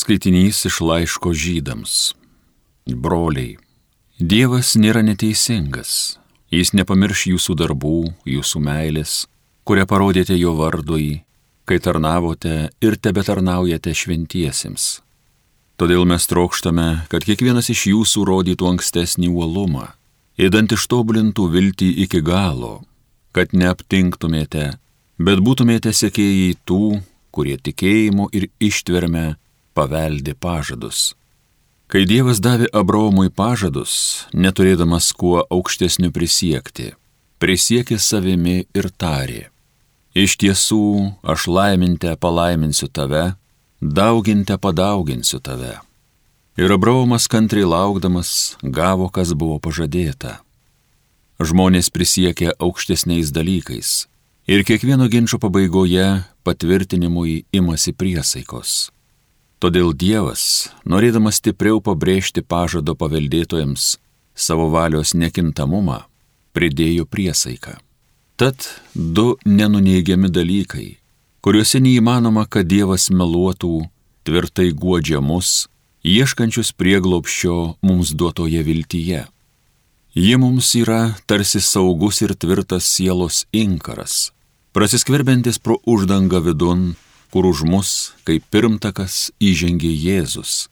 Skaitinys iš laiško Žydams. Broliai, Dievas nėra neteisingas. Jis nepamirš jūsų darbų, jūsų meilės, kurią parodėte jo vardui, kai tarnavote ir tebetarnaujate šventiesiems. Todėl mes trokštame, kad kiekvienas iš jūsų rodytų ankstesnį uolumą, įdant ištobulintų viltį iki galo, kad neaptinktumėte, bet būtumėte sekėjai tų, kurie tikėjimu ir ištverme paveldi pažadus. Kai Dievas davė Abraomui pažadus, neturėdamas kuo aukštesniu prisiekti, prisiekė savimi ir tarė: iš tiesų, aš laiminte palaiminsiu tave, dauginte padauginsiu tave. Ir Abraomas kantriai laukdamas gavo, kas buvo pažadėta. Žmonės prisiekė aukštesniais dalykais ir kiekvieno ginčo pabaigoje patvirtinimui imasi priesaikos. Todėl Dievas, norėdamas stipriau pabrėžti pažado paveldėtojams savo valios nekintamumą, pridėjo priesaiką. Tad du nenuneigiami dalykai, kuriuose neįmanoma, kad Dievas meluotų, tvirtai guodžia mus, ieškančius prieglobsčio mums duotoje viltyje. Ji mums yra tarsi saugus ir tvirtas sielos inkaras, prasiskverbiantis pro uždangą vidun, kur už mus, kaip pirmtakas, įžengė Jėzus,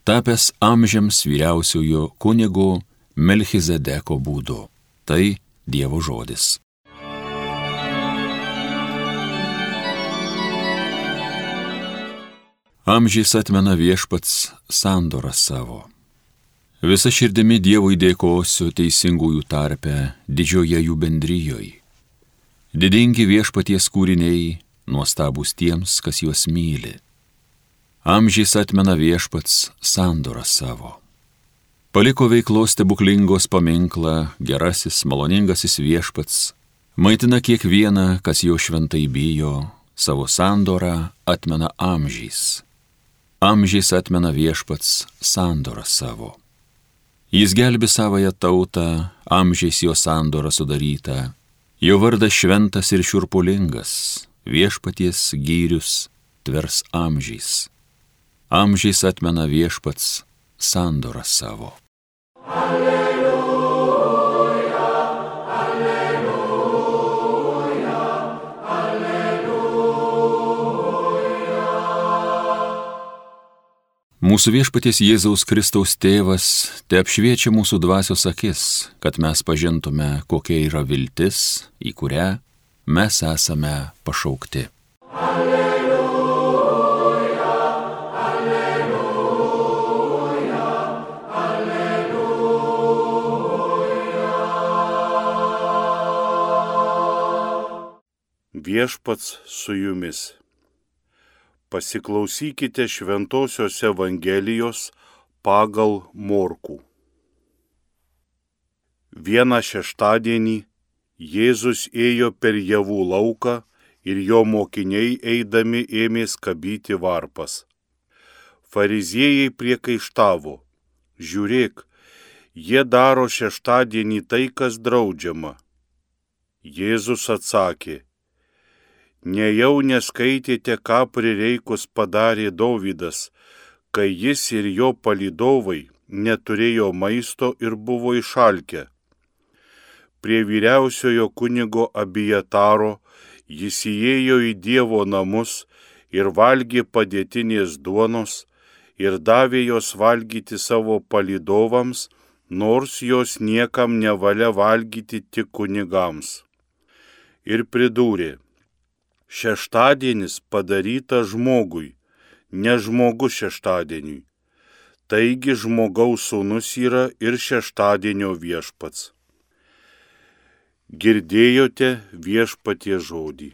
tapęs amžiams vyriausiojo kunigo Melchizedeko būdu. Tai Dievo žodis. Amžiais atmena viešpats sandorą savo. Visa širdimi Dievui dėkosiu teisingųjų tarpe, didžioje jų bendrijoje. Didingi viešpaties kūriniai, nuostabūs tiems, kas juos myli. Amžiais atmena viešpats sandorą savo. Paliko veiklos stebuklingos paminklą, gerasis, maloningasis viešpats, maitina kiekvieną, kas jo šventai bijo, savo sandorą atmena amžiais. Amžiais atmena viešpats sandorą savo. Jis gelbi savąją tautą, amžiais jo sandorą sudarytą, jo vardas šventas ir šiurpulingas, viešpaties gyrius tvers amžiais. Amžiais atmena viešpats sandorą savo. Alleluja, alleluja, alleluja. Mūsų viešpaties Jėzaus Kristaus tėvas te apšviečia mūsų dvasios akis, kad mes pažintume, kokia yra viltis, į kurią mes esame pašaukti. Alleluja, alleluja, alleluja. Viešpats su jumis. Pasiklausykite Šventosios Evangelijos pagal Morkų. Vieną šeštadienį Jėzus ėjo per javų lauką ir jo mokiniai eidami ėmė skabyti varpas. Fariziejai priekaištavo: žiūrėk, jie daro šeštadienį tai, kas draudžiama. Jėzus atsakė: nejau neskaitėte, ką prireikus padarė Dovydas, kai jis ir jo palydovai neturėjo maisto ir buvo išalkę. Prie vyriausiojo kunigo Abijataro jis įėjo į Dievo namus ir valgė padėtinės duonos ir davė jos valgyti savo palydovams, nors jos niekam nevalia valgyti, tik kunigams. Ir pridūrė: šeštadienis padarytas žmogui, ne žmogus šeštadieniui. Taigi žmogaus sūnus yra ir šeštadienio viešpats. Girdėjote viešpaties žodį.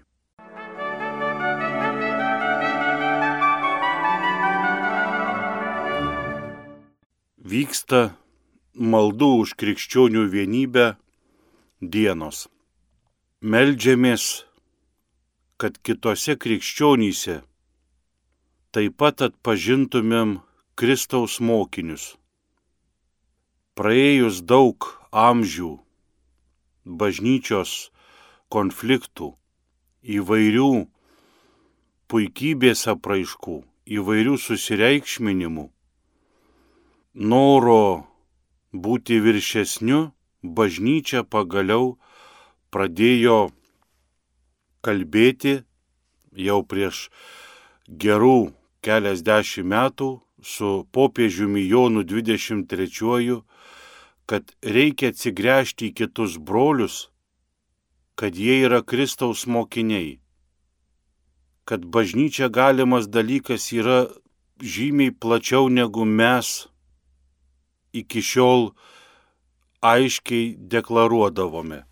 Vyksta maldų už krikščionių vienybę dienos. Meldžiamės, kad kitose krikščionyse taip pat atpažintumėm Kristaus mokinius. Praėjus daug amžių, bažnyčios konfliktų, įvairių puikybės apraiškų įvairių susireikšminimų, noro būti viršesniu, bažnyčia pagaliau pradėjo kalbėti jau prieš gerų keliasdešimt metų su popiežiumi Jonu 23, kad reikia atsigręžti į kitus brolius, kad jie yra Kristaus mokiniai, kad bažnyčia galimas dalykas yra žymiai plačiau negu mes iki šiol aiškiai deklaruodavome.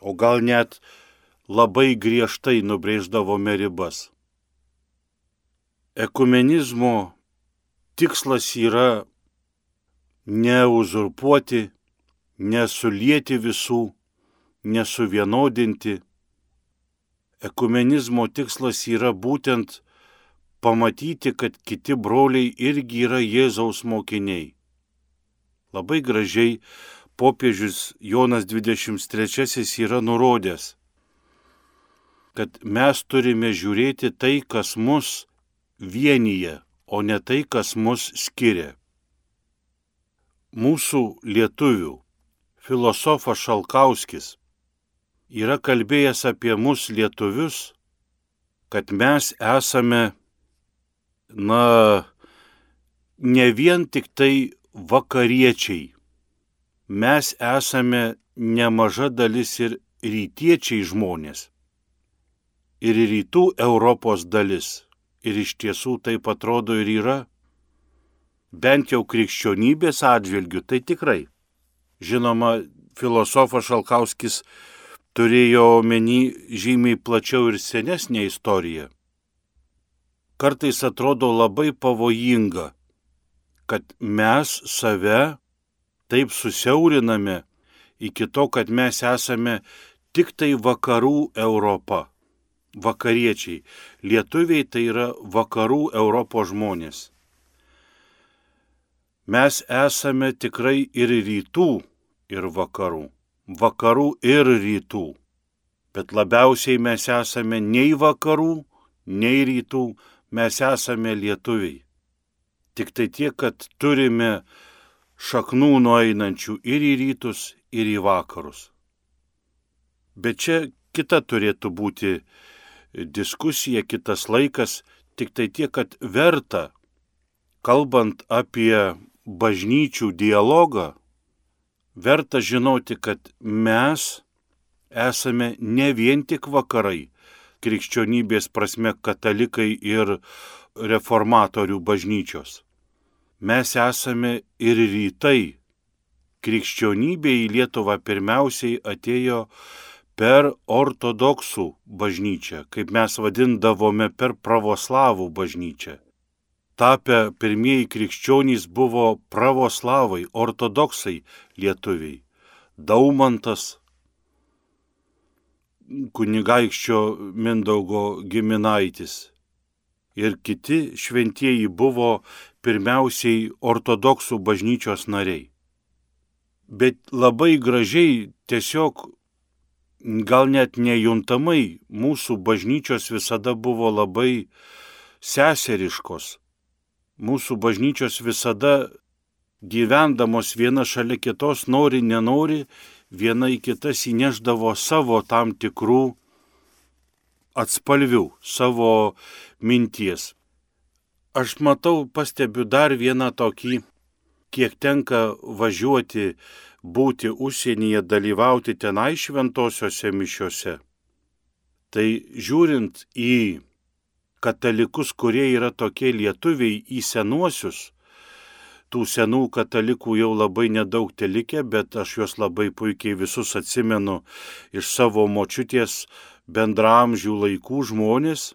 O gal net labai griežtai nubrėždavome ribas. Ekumenizmo tikslas yra neuzurpuoti, nesulieti visų, nesuvienodinti. Ekumenizmo tikslas yra būtent pamatyti, kad kiti broliai irgi yra Jėzaus mokiniai. Labai gražiai popiežius Jonas 23 yra nurodęs, kad mes turime žiūrėti tai, kas mus vienyje, o ne tai, kas mus skiria. Mūsų lietuvių filosofas Šalkauskis yra kalbėjęs apie mus lietuvius, kad mes esame, ne vien tik tai vakariečiai, mes esame nemaža dalis ir rytiečiai žmonės, ir rytų Europos dalis, ir iš tiesų taip atrodo ir yra, bent jau krikščionybės atžvilgių, tai tikrai. Žinoma, filosofas Šalkauskis turėjo omeny žymiai plačiau ir senesnę istoriją. Kartais atrodo labai pavojinga, kad mes save taip susiauriname iki to, kad mes esame tik tai vakarų Europa, vakariečiai. Lietuviai tai yra vakarų Europos žmonės. Mes esame tikrai ir rytų, ir vakarų. Vakarų ir rytų. Bet labiausiai mes esame nei vakarų, nei rytų, mes esame lietuviai. Tik tai tiek, kad turime šaknų nueinančių ir į rytus, ir į vakarus. Bet čia kita turėtų būti diskusija, kitas laikas, tik tai tiek, kad verta, kalbant apie bažnyčių dialogą, verta žinoti, kad mes esame ne vien tik vakarai, krikščionybės prasme katalikai ir reformatorių bažnyčios. Mes esame ir rytai. Krikščionybė į Lietuvą pirmiausiai atėjo per ortodoksų bažnyčią, kaip mes vadindavome per pravoslavų bažnyčią. Tapę pirmieji krikščionys buvo pravoslavai, ortodoksai lietuviai. Daumantas, kunigaikščio Mindaugo giminaitis ir kiti šventieji buvo pirmiausiai ortodoksų bažnyčios nariai. Bet labai gražiai, tiesiog gal net nejuntamai, mūsų bažnyčios visada buvo labai seseriškos. Mūsų bažnyčios visada gyvendamos viena šalia kitos, nori, nenori, viena į kitas įneždavo savo tam tikrų atspalvių, savo minties. Aš matau, pastebiu dar vieną tokį, kiek tenka važiuoti, būti užsienyje, dalyvauti tenai šventosiuose mišiuose. Tai žiūrint į katalikus, kurie yra tokie lietuviai, į senuosius, tų senų katalikų jau labai nedaug telikę, bet aš juos labai puikiai visus atsimenu iš savo močiutės bendraamžių laikų žmonės.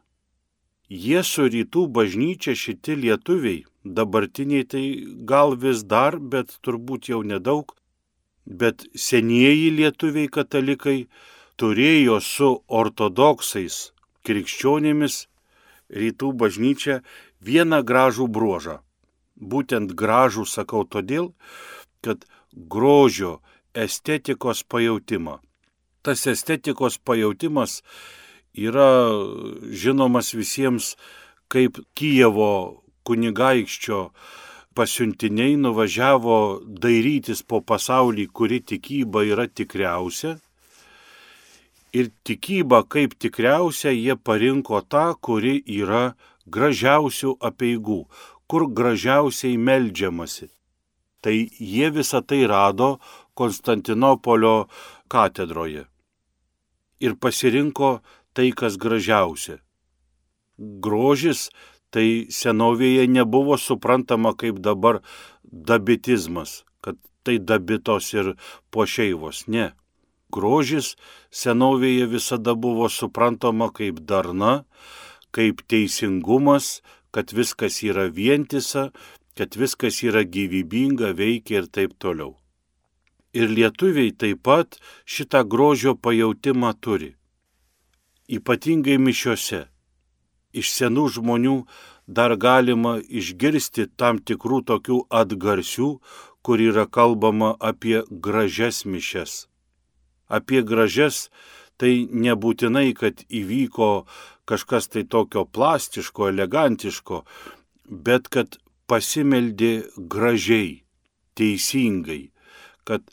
Jie su rytų bažnyčia, šitie lietuviai, dabartiniai tai gal vis dar, bet turbūt jau nedaug, bet senieji lietuviai katalikai turėjo su ortodoksais krikščionimis rytų bažnyčia vieną gražų bruožą. Būtent gražų sakau todėl, kad grožio estetikos pajautimą. Tas estetikos pajautimas yra žinomas visiems kaip Kijevo kunigaikščio pasiuntiniai nuvažiavo dairytis po pasaulį, kuri tikyba yra tikriausia. Ir tikybą kaip tikriausia jie parinko tą, kuri yra gražiausių apeigų, kur gražiausiai meldžiamasi. Tai jie visą tai rado Konstantinopolio katedroje. Ir pasirinko tai, kas gražiausia. Grožis tai senovėje nebuvo suprantama kaip dabar dabitizmas, kad tai dabitos ir pošeivos. Ne. Grožis senovėje visada buvo suprantama kaip darna, kaip teisingumas, kad viskas yra vientisa, kad viskas yra gyvybinga, veikia ir taip toliau. Ir lietuviai taip pat šitą grožio pajautimą turi. Ypatingai mišiose. Iš senų žmonių dar galima išgirsti tam tikrų tokių atgarsių, kur yra kalbama apie gražias mišias. Apie gražias tai nebūtinai, kad įvyko kažkas tai tokio plastiško, elegantiško, bet kad pasimeldė gražiai, teisingai, kad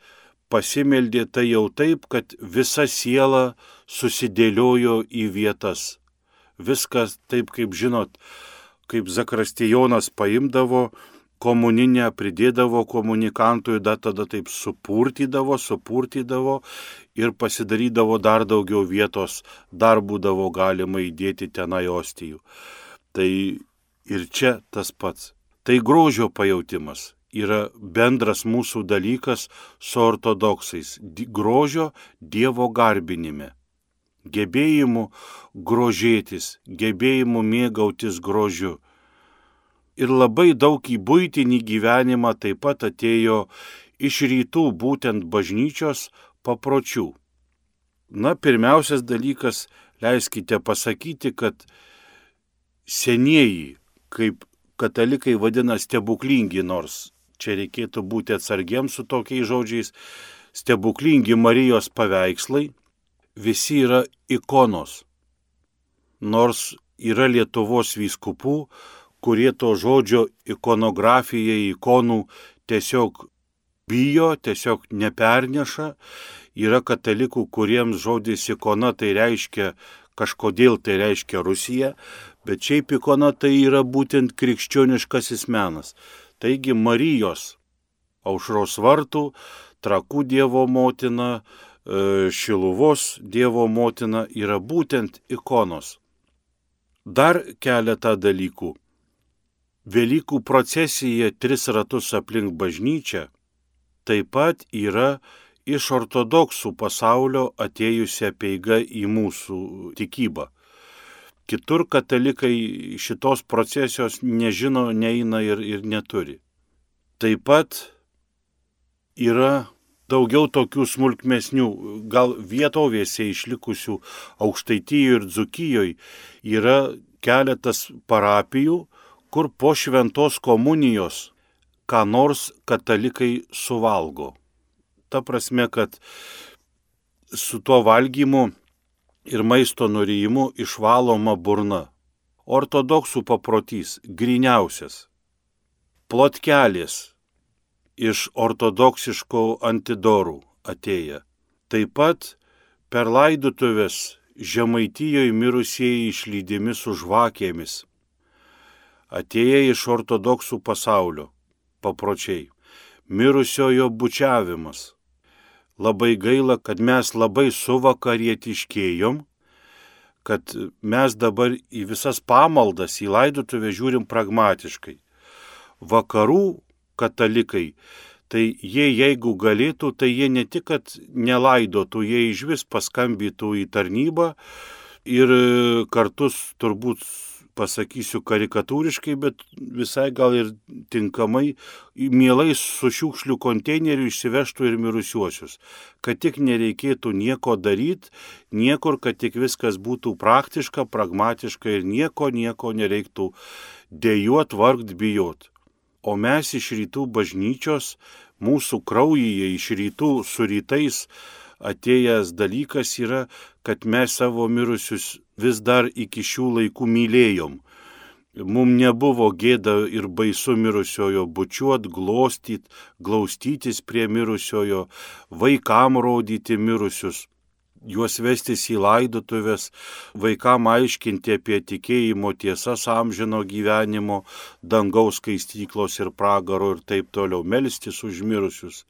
pasimeldė tai jau taip, kad visa siela susidėliojo į vietas. Viskas taip, kaip žinot, kaip zakristijonas paimdavo komuninę, pridėdavo komunikantui, tada taip supurtydavo ir pasidarydavo dar daugiau vietos, dar būdavo galima įdėti tenai ostijų. Tai ir čia tas pats. Tai grožio pajautimas yra bendras mūsų dalykas su ortodoksais. Grožio Dievo garbinime. Gebėjimu grožėtis, gebėjimu mėgautis grožiu. Ir labai daug į buitinį gyvenimą taip pat atėjo iš rytų, būtent bažnyčios papročių. Na, pirmiausias dalykas, leiskite pasakyti, kad senieji, kaip katalikai vadina stebuklingi, nors čia reikėtų būti atsargiems su tokiais žodžiais, stebuklingi Marijos paveikslai, visi yra ikonos. Nors yra Lietuvos vyskupų, kurie to žodžio ikonografija, ikonų tiesiog bijo, tiesiog neperneša. Yra katalikų, kuriems žodis ikona tai reiškia, kažkodėl tai reiškia Rusija, bet šiaip ikona tai yra būtent krikščioniškasis menas. Taigi Marijos, Aušros vartų, Trakų Dievo motina, Šiluvos Dievo motina yra būtent ikonos. Dar keletą dalykų. Velykų procesija 3 ratus aplink bažnyčią taip pat yra iš ortodoksų pasaulio atėjusi apeiga į mūsų tikybą. Kitur katalikai šitos procesijos nežino, neina ir neturi. Taip pat yra daugiau tokių smulkmesnių, gal vietovėse išlikusių Aukštaitijoje ir Dzūkijoje yra keletas parapijų, kur po šventos komunijos ką nors katalikai suvalgo. Ta prasme, kad su tuo valgymu ir maisto nurijimu išvaloma burna. Ortodoksų paprotys gryniausias. Plotkelės iš ortodoksiškų antidorų atėję. Taip pat per laidotuvės Žemaitijoje mirusieji išlydimi su žvakėmis. Atėję iš ortodoksų pasaulio papročiai. Mirusiojo bučiavimas. Labai gaila, kad mes labai suvakarietiškėjom, kad mes dabar į visas pamaldas, į laidotuvę žiūrim pragmatiškai. Vakarų katalikai, tai jie jeigu galėtų, tai jie ne tik, kad nelaidotų, jie išvis paskambytų į tarnybą ir kartus turbūt pasakysiu karikatūriškai, bet visai gal ir tinkamai, mielai su šiukšlių konteineriu išsivežtų ir mirusiuosius. Kad tik nereikėtų nieko daryti, niekur, kad tik viskas būtų praktiška, pragmatiška ir nieko nereiktų dejuot, vargt, bijot. O mes iš rytų bažnyčios, mūsų kraujyje iš rytų su rytais atėjęs dalykas yra, kad mes savo mirusius vis dar iki šių laikų mylėjom. Mums nebuvo gėda ir baisu mirusiojo bučiuot, glostyt, glaustytis prie mirusiojo, vaikam rodyti mirusius, juos vestis į laidotuvės, vaikam aiškinti apie tikėjimo tiesas amžino gyvenimo, dangaus skaistyklos ir pragaro ir taip toliau, melstis už mirusius.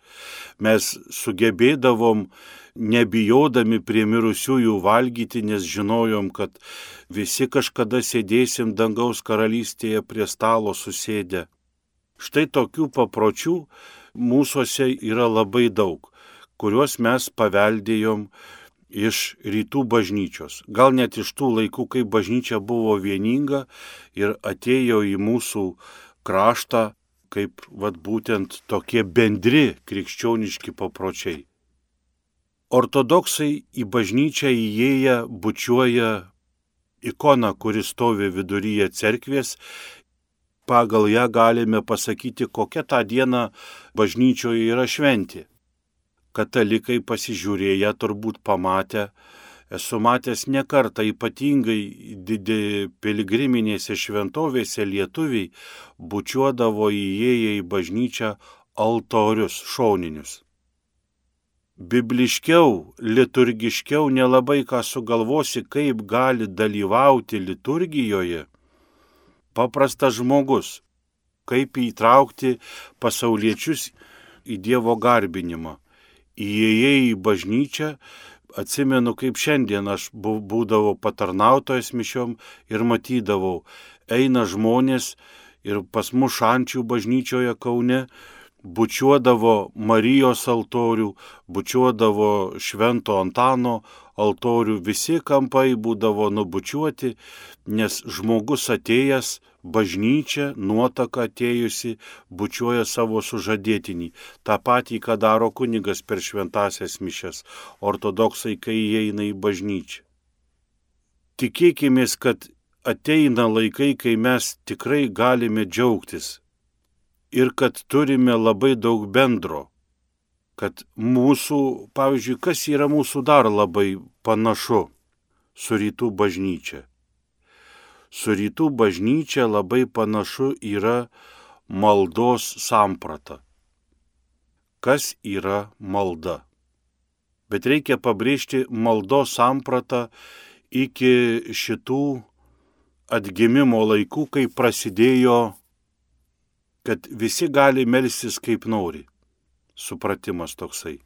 Mes sugebėdavom nebijodami prie mirusiųjų valgyti, nes žinojom, kad visi kažkada sėdėsim dangaus karalystėje prie stalo susėdę. Štai tokių papročių mūsuose yra labai daug, kuriuos mes paveldėjom iš rytų bažnyčios. Gal net iš tų laikų, kai bažnyčia buvo vieninga ir atėjo į mūsų kraštą kaip būtent tokie bendri krikščioniški papročiai. Ortodoksai į bažnyčią įėję bučiuoja ikoną, kuri stovi viduryje cerkvės. Pagal ją galime pasakyti, kokia tą dieną bažnyčioje yra šventė. Katalikai pasižiūrėję turbūt pamatę, esu matęs ne kartą, ypatingai piligriminėse šventovėse lietuviai bučiuodavo įėję į bažnyčią altorius šoninius. Bibliškiau, liturgiškiau nelabai ką sugalvosi, kaip gali dalyvauti liturgijoje paprastas žmogus, kaip įtraukti pasauliečius į Dievo garbinimą. Įėjai į bažnyčią, atsimenu, kaip šiandien aš būdavau patarnautojas mišiom ir matydavau, eina žmonės ir pas mus Šančių bažnyčioje Kaune bučiuodavo Marijos altorių, bučiuodavo Švento Antano altorių, visi kampai būdavo nubučiuoti, nes žmogus atėjęs, bažnyčia, nuotaka atėjusi, bučiuoja savo sužadėtinį. Ta patį, ką daro kunigas per šventasias mišias, ortodoksai, kai įeina į bažnyčią. Tikėkimės, kad ateina laikai, kai mes tikrai galime džiaugtis ir kad turime labai daug bendro. Kad mūsų, pavyzdžiui, kas yra mūsų dar labai panašu su rytų bažnyčia. Su rytų bažnyčia labai panašu yra maldos samprata. Kas yra malda? Bet reikia pabrėžti maldos sampratą iki šitų atgimimo laikų, kai prasidėjo, kad visi gali melstis kaip nori. Supratimas toksai.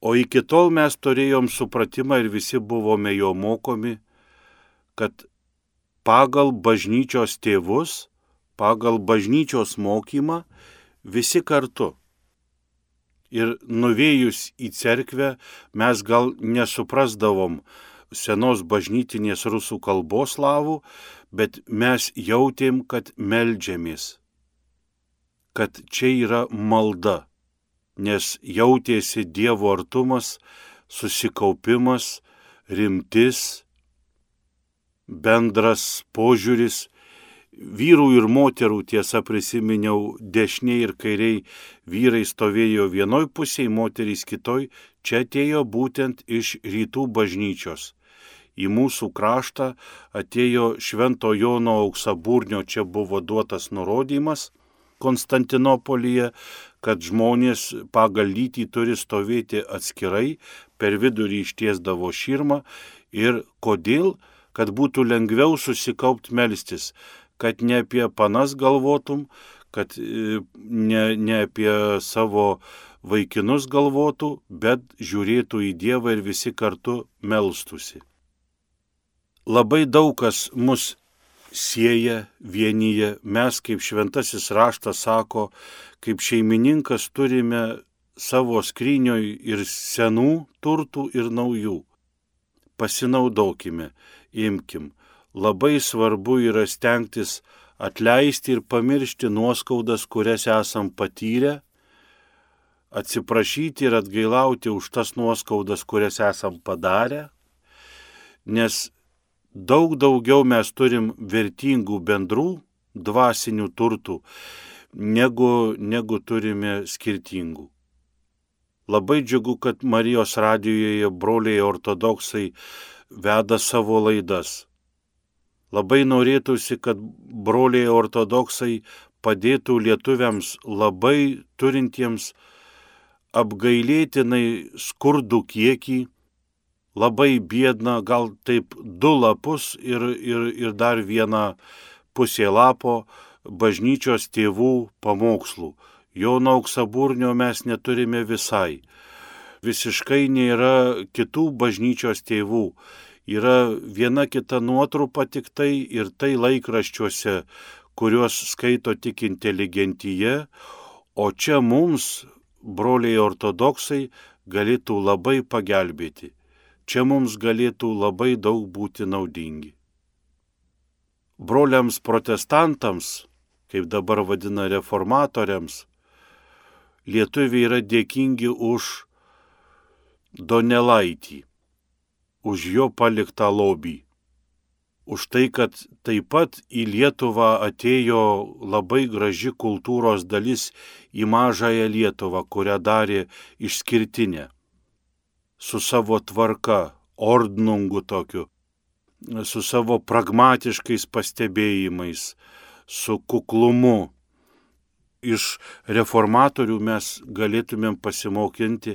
O iki tol mes turėjom supratimą ir visi buvome jo mokomi, kad pagal bažnyčios tėvus, pagal bažnyčios mokymą visi kartu. Ir nuvėjus į cerkvę mes gal nesuprasdavom senos bažnytinės rusų kalbos slavų, bet mes jautėm, kad meldžiamės, kad čia yra malda, nes jautėsi Dievo artumas, susikaupimas, rimtis, bendras požiūris. Vyrų ir moterų, tiesa, prisiminiau, dešiniai ir kairiai vyrai stovėjo vienoj pusėje, moterys kitoj, čia atėjo būtent iš rytų bažnyčios. Į mūsų kraštą atėjo Švento Jono Auksaburnio, čia buvo duotas nurodymas Konstantinopolyje, kad žmonės pagal lytį turi stovėti atskirai, per vidurį ištiesdavo širmą ir kodėl, kad būtų lengviau susikaupt melstis, kad ne apie panas galvotum, kad ne apie savo vaikinus galvotų, bet žiūrėtų į Dievą ir visi kartu melstusi. Labai daug kas mus sieja, vienyje. Mes, kaip šventasis raštas sako, kaip šeimininkas turime savo skrynioj ir senų turtų ir naujų. Pasinaudokime, imkim. Labai svarbu yra stengtis atleisti ir pamiršti nuoskaudas, kurias esam patyrę, atsiprašyti ir atgailauti už tas nuoskaudas, kurias esam padarę, nes daug daugiau mes turim vertingų bendrų dvasinių turtų, negu turime skirtingų. Labai džiugu, kad Marijos radijoje broliai ortodoksai veda savo laidas. Labai norėtųsi, kad broliai ortodoksai padėtų lietuviams labai turintiems apgailėtinai skurdų kiekį, labai biedną, gal taip 2 lapus ir dar 1 pusė lapo bažnyčios tėvų pamokslų. Jono Auksaburnio mes neturime visai. Visiškai nėra kitų bažnyčios tėvų. Yra viena kita nuotrupa tik tai ir tai laikraščiuose, kuriuos skaito tik inteligentija, o čia mums, broliai ortodoksai, galėtų labai pagelbėti. Čia mums galėtų labai daug būti naudingi. Broliams protestantams, kaip dabar vadina reformatoriams, lietuviai yra dėkingi už Donelaitį, už jo paliktą lobį, už tai, kad taip pat į Lietuvą atėjo labai graži kultūros dalis į mažąją Lietuvą, kurią darė išskirtinę, su savo tvarka, ordnungu tokiu, su savo pragmatiškais pastebėjimais, su kuklumu. Iš reformatorių mes galėtumėm pasimokinti,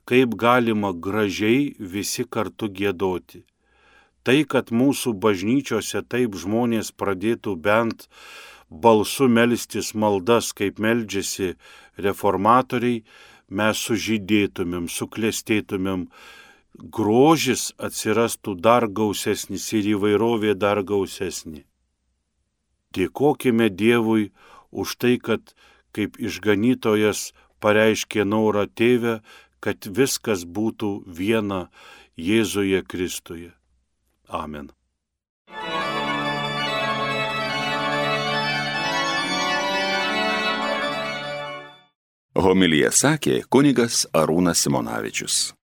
kaip galima gražiai visi kartu giedoti. Tai, kad mūsų bažnyčiose taip žmonės pradėtų bent balsu melstis maldas, kaip meldžiasi reformatoriai, mes sužydėtumėm, suklestėtumėm, grožis atsirastų dar gausesnis ir įvairovė dar gausesnė. Dėkokime Dievui už tai, kad kaip išganytojas pareiškė norą Tėve, kad viskas būtų viena Jėzuje Kristuje. Amen. Homiliją sakė kunigas Arūnas Simonavičius.